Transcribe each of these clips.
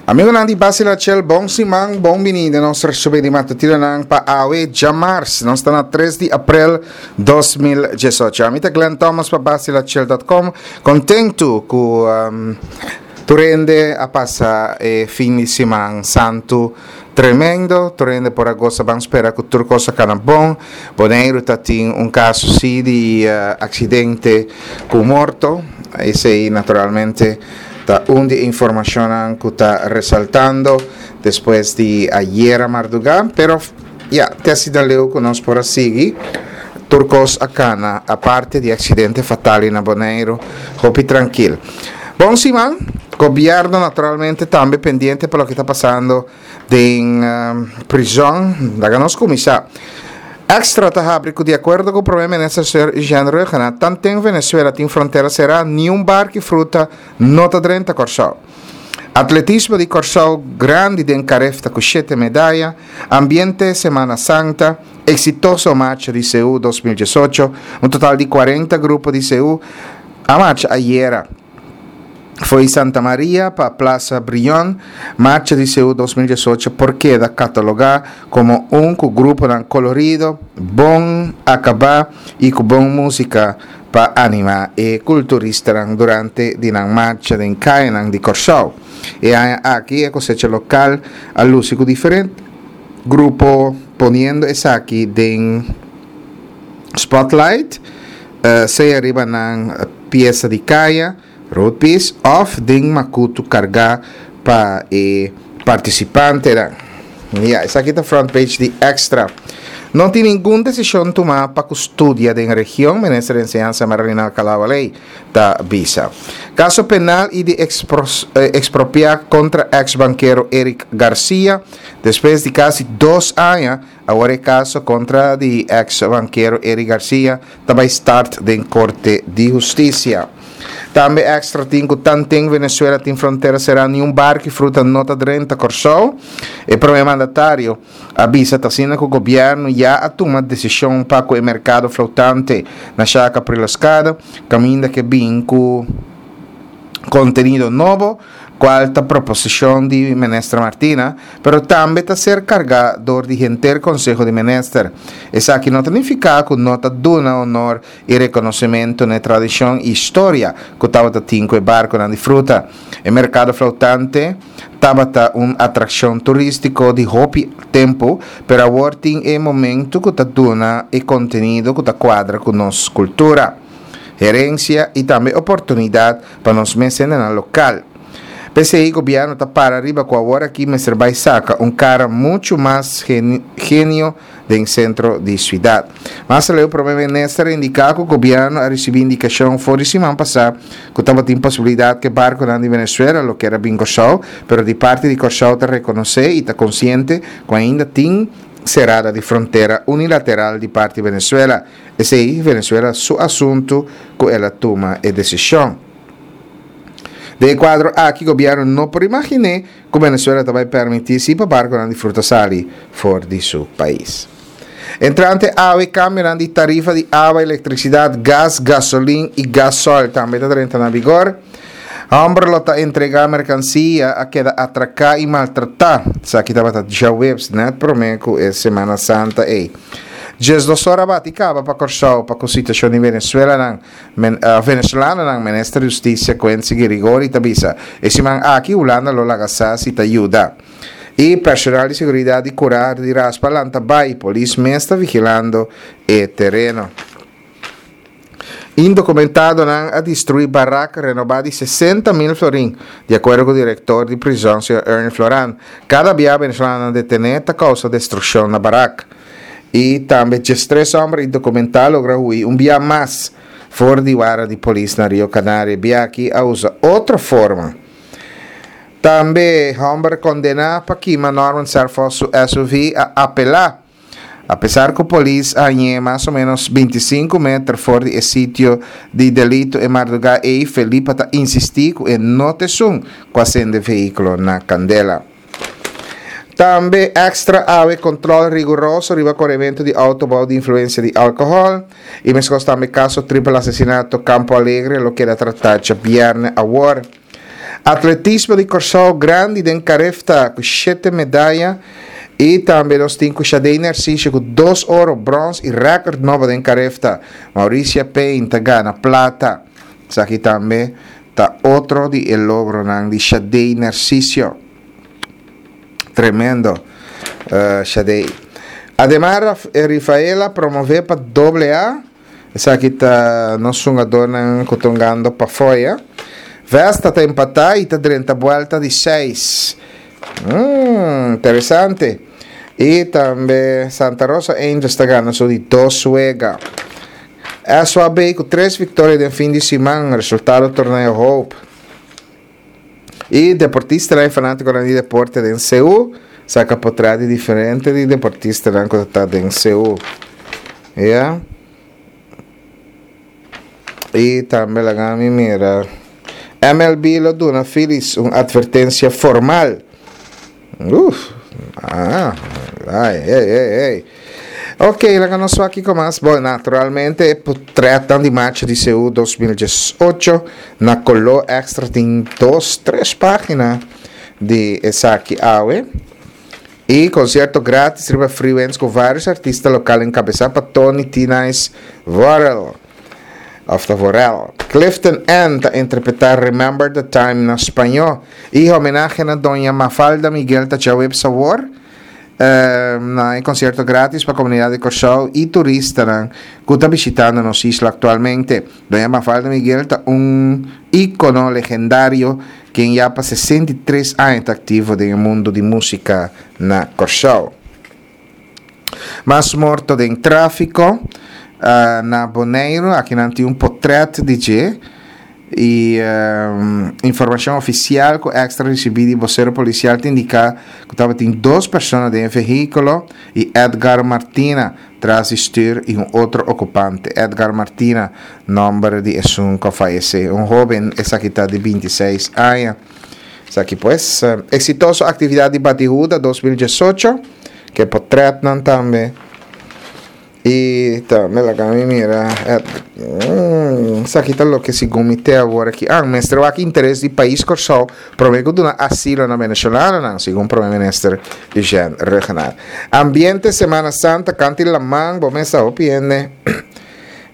Amigonan di Basila Chel, bon siman, bon bini den nos resumen di matutinonan pa awe djamars. Nos ta na 3 di aprel 2018. Ami ta Glenn Thomas pa basilachel.com. Kontentu ku um, tur hende a pasa e fin di siman santu tremendo. Tur hende por a gosa ban spera ku tur kos a kana bon. Boneiru ta tin un kaso si di uh, aksidente ku morto. Esei naturalmente Ta un di e informacionnan cu ta resaltando despues di ayera marduga, pero ya, te asina leu cu nos por a sigui, tur cos a cana, aparte di accidente fatal na Boneiru, hopi trankil. Bon siman, gobierno naturalmente tambe pendiente pa loke ta pasando Den prizòn, laga nos kuminsá. Extra ta habri ku di akuerdo ku Prome Minister señor Eugène Rhuggenaath, tanten Venezuela tin frontera será, niun bark i fruta no ta drenta Kòrsou. Atletismo di Kòrsou grandi den Carifta ku shete medaya, ambiente Semana Santa, eksitoso marcha di Seú 2018, un total di 40 grupo di Seú a marcha ayera. Fo'i Santa Maria pa Plaza Brion, Marcha di Seú 2018 por keda katalogá komo un ku gruponan kolorido, bon akabá i ku bon músika pa animá e kulturistanan durante di nan marcha den kayanan di Kòrsou. E aña aki e kosecha lokal a lusi ku diferente grupo poniendo esaki den spotlight, sea riba nan piesa di kaya, roadpiece, òf den makutu kargá pa e partisipantenan. Ya, esaki ta front page di Extra. No tin ningun desishon tumá pa ku studia den region, Minister di Enseñansa Marilyn Alcalá-Wallé ta bisa. Kaso penal i di ekspropiá kontra eks bankero Eric Garcia, despues di kasi dos aña, Awor e kaso kontra di eks bankero Eric Garcia ta bai start den Korte di Hustisia. Tambe Extra tin ku tanten Venezuela tin frontera será niun bark i fruta no ta drenta Kòrsou. E prome mandatario a bisa ta asina ku gobièrnu ya a tuma desishon pa ku e merkado flotante na Shaka Priloskado kaminda ke bin ku kontenido nobo cual ta proposicion di Minister Martina, pero tambe ta ser carga door di henter Conseho di Minister. Esaki no ta nifica cu no ta duna honor y reconocimento n'e tradicion y historia cu tabata tin cu e barconan di fruta. E mercado flotante tabata un atraccion turistico di hopi tempo, pero awor tin e momento cu ta duna e contenido cu ta cuadra cu nos cultura, herencia y tambe oportunidad pa nos mes hendenan lokal. P'esei gobièrnu ta para riba ku awor aki mester bai saka un kara muchu mas genio den sentro di siudat. Mas aleu Prome Minister a indiká ku gobièrnu a risibí indikashon for di siman pasá ku tabatin posibilidat ku e barkunan di Venezuela lo kier a bin Kòrsou, pero di parti di Kòrsou ta rekonosé i ta konsiente ku ainda tin serada di frontera unilateral di parti Venezuela. Esei Venezuela su asuntu ku el a tuma e desishon. Den e kuadro aki gobièrnu no por imaginé ku Venezuela ta bai permití si pa barkunan di fruta sali for di su pais. Entrante awe kambionan di tarifa di awa, elektrisidat, gas, gasolin i gasòl tambe ta drenta na vigor. Hòmber lo ta entregá merkansia a keda atraká i maltratá. Esaki tabata djaweps nèt promé ku e Semana Santa ei. Djesdos ora bati kaba pa Kòrsou pa ku situashon di Venezuelanan, Venezolanonan, Minister di Hustisia Quincy Girigorie ta bisa. E siman aki Hulanda lo laga sa si ta yuda. I personal di seguridat di kura di raspa lanta bai, polis mes ta vigilando e tereno. Indokumentadonan a destruí barak renobá di 60 mil florin, di akuerdo ku direktor di prizòn señor Ernie Floran. Kada bia venezolanonan detené ta kousa destrukshon na barak. I tambe 13 hòmber indokumentá logra hui un bia mas for di wara di polis na Rio Canario. E bia aki a usa otro forma. Tambe hòmber kondená pa kima Norman Serphos su SUV a apelá. Apesar ku polis a hañ'é mas o ménos 25 meter for di e sitio di delito e mardugá ei, Felipa ta insistí ku e no ta esun ku a sende vehíkulo na kandela. Tambe èkstra awe kontròl riguroso riba korementu di outo bou di influensia di alkohòl i meskos tambe kaso tripel asesinato Campo Alegre lo keda tratá djabièrnè awor. Atletismo di Kòrsou grandi den Carifta ku shete medaya i tambe nos tin ku Shadey Narciso ku dos oro, bròns i rèkòrt nobo den Carifta. Mauricia Payne ta gana plata. Esaki tambe ta otro di e logronan di Shadey Narciso. Tremendo Shadey. Ademar Rifaela promove pa doble A. Esaki ta nos hungadornan ku ta hungando pafoya. Vesta ta empatá i ta drenta buelta di seis. Mm, interesante. I tambe Santa Rosa Angels ta gana su di dos wega. SWB ku tres viktoria den fin di siman, resultado torneo Hope. I deportistanan i fanátikonan di deporte den Seú saka potrèt di diferente di deportistanan ku ta ta den Seú. Ya. I tambe laga mi mira. MLB lo duna Phillies un atvertensia formal. Uf, ah, ai, ei, ei, ei. Ok, laga nos wak kiko mas. Bon, naturalmente e potretnan di marcha di CU 2018 na koló extra tin dos, tres pagina di esaki awe. I konsierto gratis riba Freewinds ku varios artista lokal enkabesá pa Tony T-Nice Vorel. Of ta Vorel. Clifton N ta interpretá Remember the Time na spañó. I homenahe na Doña Mafalda Miguel ta djaweps awor na e konsierto gratis pa komunidat di Kòrsou i turistanan ku ta bishitando nos isla aktualmente. Doña Mafalda Miguel ta un íkono legendario ken ya pa 63 aña ta aktivo den e mundu di músika na Kòrsou. Mas morto den tráfiko na Boneiru, aki nan tin un potrèt di dje i informashon ofisial ku Extra risibí di bosero polisial ta indiká ku tabatin dos persona den e vehíkulo i Edgar Martina tras di stür i un otro okupante. Edgar Martina, nòmber di esun ku a fayesé, un hóben esaki ta di 26 aña. Esaki pues, eksitoso aktividat di Batihuda 2018, ke potretnan tambe. I tambe laga mi mira, esaki ta loke segun mi te awor aki. Ah, mester wak interes di pais Kòrsou promé ku duna asilo na venezolanonan, segun Prome Minister Eugène Rhuggenaath. Ambiente Semana Santa kanti laman, bo mes ta hopi hende.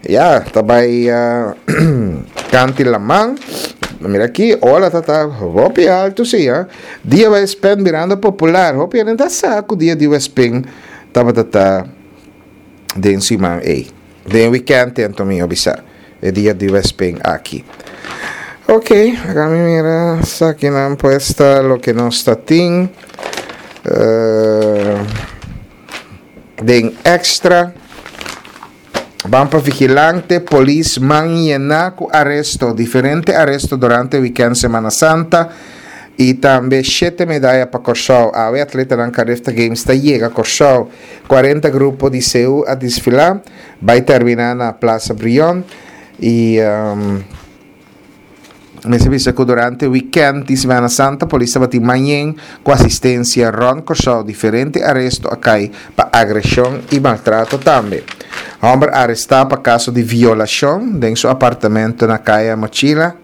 Ya, ta bai kanti laman. Mira aki, ola ta ta hopi alto si, ha. Dia Westpen birando popular. Hopi hende ta sa ku dia di Westpen tabata ta den siman ei. Den weekend anto mi a bisa e dia di Westpen aki. Ok, laga mi mira esakinan pues ta loke nos ta tin. Den extra. Ban pa vigilante, polis man yená ku aresto, diferente aresto durante wikènt Semana Santa i tambe shete medaya pa Kòrsou. Awe atletanan Carifta Games ta yega Kòrsou. 40 grupo di CU a desfilá, bai terminá na Plaza Brion i. Mester bisa ku durante wikènt di Semana Santa polis tabatin mañen ku asistensia rònt Kòrsou. Diferente aresto a kai pa agreshon i maltrato tambe. Hòmber arestá pa kaso di violashon den su apartamento na Kaya Mochila.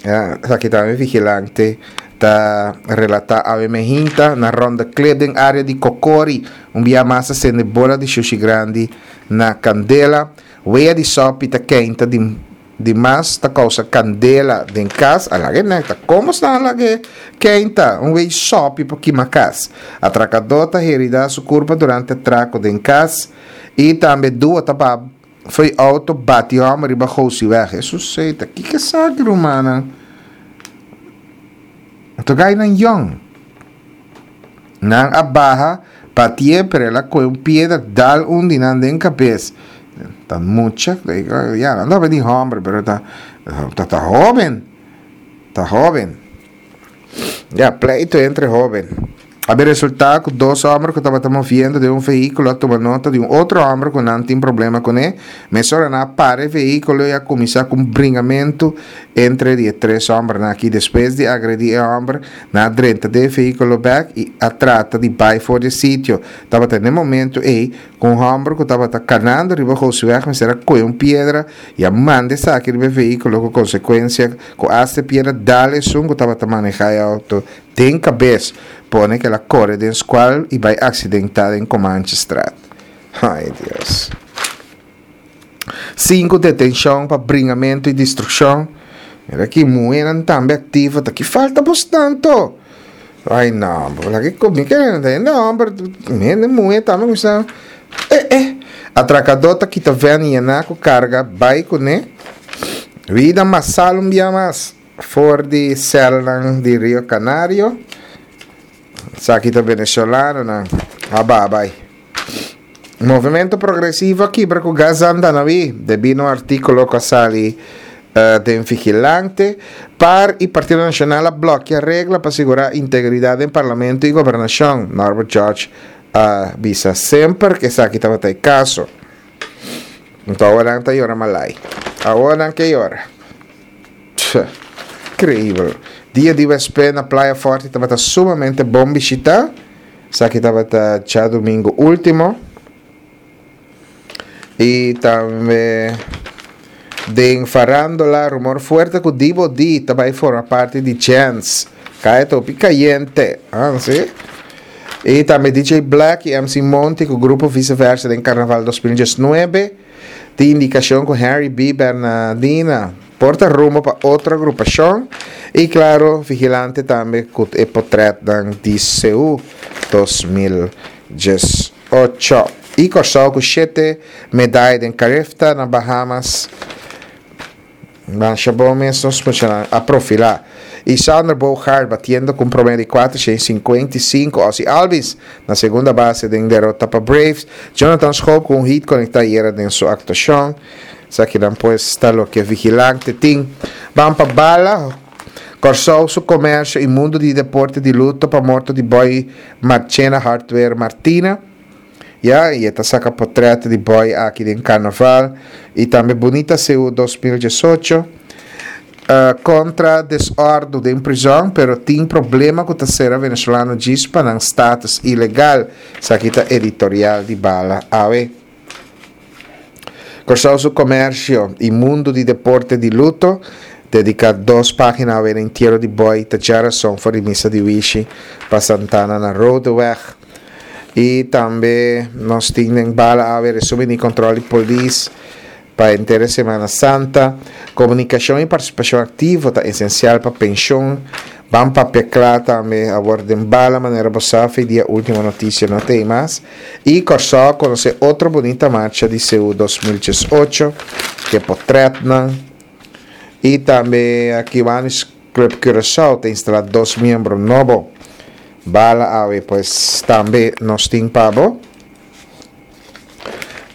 Esaki tambe vigilante ta relatá awe mehinta na Ronde Klip den área di Kokori. Un bia mas a sende bola di shushi grandi na kandela. Wea di sòpi ta keinta di. Di mas ta kousa kandela den kas, a lag'e nèk ta komo snan a lag'e keinta, un wei sòpi por kima kas. Atrakadó ta heridá su kurpa durante atrako den kas i tambe dua ta baha fo'i outo bati hòmber riba Gosiweg. Hesus seita, kiko esaki rumannan? Anto gainan yòn. Nan a baha batié, pero el a kohe un piedra dal un di nan den kabes. Ta mucha, ya, nan tabata di hòmber, pero ta, ta, ta hóben, ta hóben. Ya, pleito entre hóben. A bin resultá ku dos hòmber ku tabata moviendo den un vehíkulo a tuma nota di un otro hòmber ku nan tin problema kuné. Mesora nan a para e vehíkulo i a kuminsá ku un bringamentu. Entre di e tres hòmbernan aki despues di agredí e hòmber, nan a drenta den e vehíkulo bèk i a trata di bai for di e sitio. Tabata n'e momentu ei ku un hòmber ku tabata kanando riba Gosiweg mester a kohe un piedra i a manda esaki riba e vehíkulo ku konsekuensia ku asta e piedra dal esun ku tabata manehá e outo den kabes, pone ku el a kore den skual i bai aksidentá den Comanchestraat. Ai Dios. Sinku detenshon pa bringamentu i distrukshon. Mira ki muhénan tambe aktivo ta ki falta bos tanto. Ai no, bo laga ku mi kere na hende hòmber, hende muhé tambe kuminsá eh eh. Atrakadó ta kita vèn yená ku karga bai kuné. Vida masal un bia mas for di sèlnan di Rio Canario. Esaki ta venezolanonan a bai. Movimento Progresivo a kibra ku Gazan Danawi debí na un artíkulo ku a sali den Vigilante. Par i Partido Nashonal a blòkia regla pa sigurá integridat den parlamento i gobernashon, Norbert George a bisa semper ku esaki tabata e kaso. Anto awor nan ta yora malai. Awor nan ke yora. Tja, increíbel. Dia di wèspè na Playa Forti tabata sumamente bon bishitá. Esaki tabata djadumingu último. I tambe den farandola rumor fuerte ku Dibo D ta bai forma parti di Chance. Kaya ta hopi kayente. Ah, si. I tambe DJ Black i MC Monty ku grupo Vice Versa den Karnaval 2019. Tin indikashon ku Henry B. Bernadina por ta rumbo pa otro agrupashon i klaro Vigilante tambe ku e potretnan di Seú 2018. I Kòrsou ku shete medaya den Carifta na Bahamas. Masha bon mes nos muchanan a profilá. I Sander Bogaert batiendo ku un promedio di 455. Ozzie Albies na segunda base den derota pa Braves. Jonathan Schoop ku un hit konektá ayera den su aktuashon. Esakinan pues ta loke Vigilante tin. Ban pa bala. Kòrsou su komersio i mundu di deporte di luto pa morto di Boy Marchena Hardware Martina. Ya, i e ta saka potrèt di Boy aki den karnaval i tambe Bunita Seú 2018. Kontra desòrdu den prizòn pero tin problema ku ta sera venezolano djis pa nan status ilegal. Esaki ta editorial di Bala awe. Kòrsou su komersio i mundu di deporte di luto dediká dos página awe na entiero di Boy ta djarason for di misa di Wishi pa Santana na Rodeweg. I tambe nos tin den bala awe resumen di kòntròl di polis pa henter e Semana Santa. Komunikashon i partisipashon aktivo ta esensial pa penshon. Ban papia kla tambe awor den bala manera bo sa fe dia Ultimo Noticia no ta ei mas. I Kòrsou a konosé otro bunita marcha di Seú 2018 ke potrètnan. I tambe Kiwanis Club Curaçao ta instalá dos miembro nobo. Bala awe pues tambe nos tin pa bo.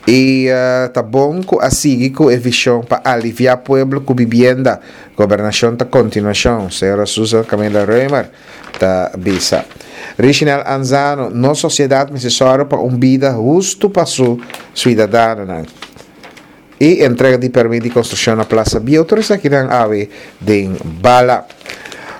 I ta bon ku a sigui ku e vishon pa aliviá pueblo ku bibienda. Gobernashon ta kontinuashon, señora Susan Camilla Römer ta bisa. Richinel Anzano, Nos sosiedat mester sòru pa un bida hustu pa su suidadanonan. I entrega di permit di konstrukshon na Plaza Bieu tur esakinan awe den bala.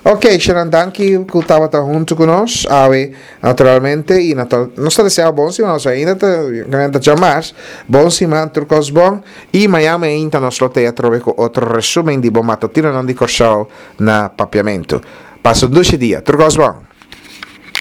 Ok, Sharon danki ku tabata huntu ku nos awe naturalmente i natural nos ta desea bon siman nos ainda ta ta djamars bon siman tur kos bon i mañan meinta nos lo te atrobe ku otro resumen di bo matutinonan di Kòrsou na Papiamentu. Pasa un dushi dia tur kos bon.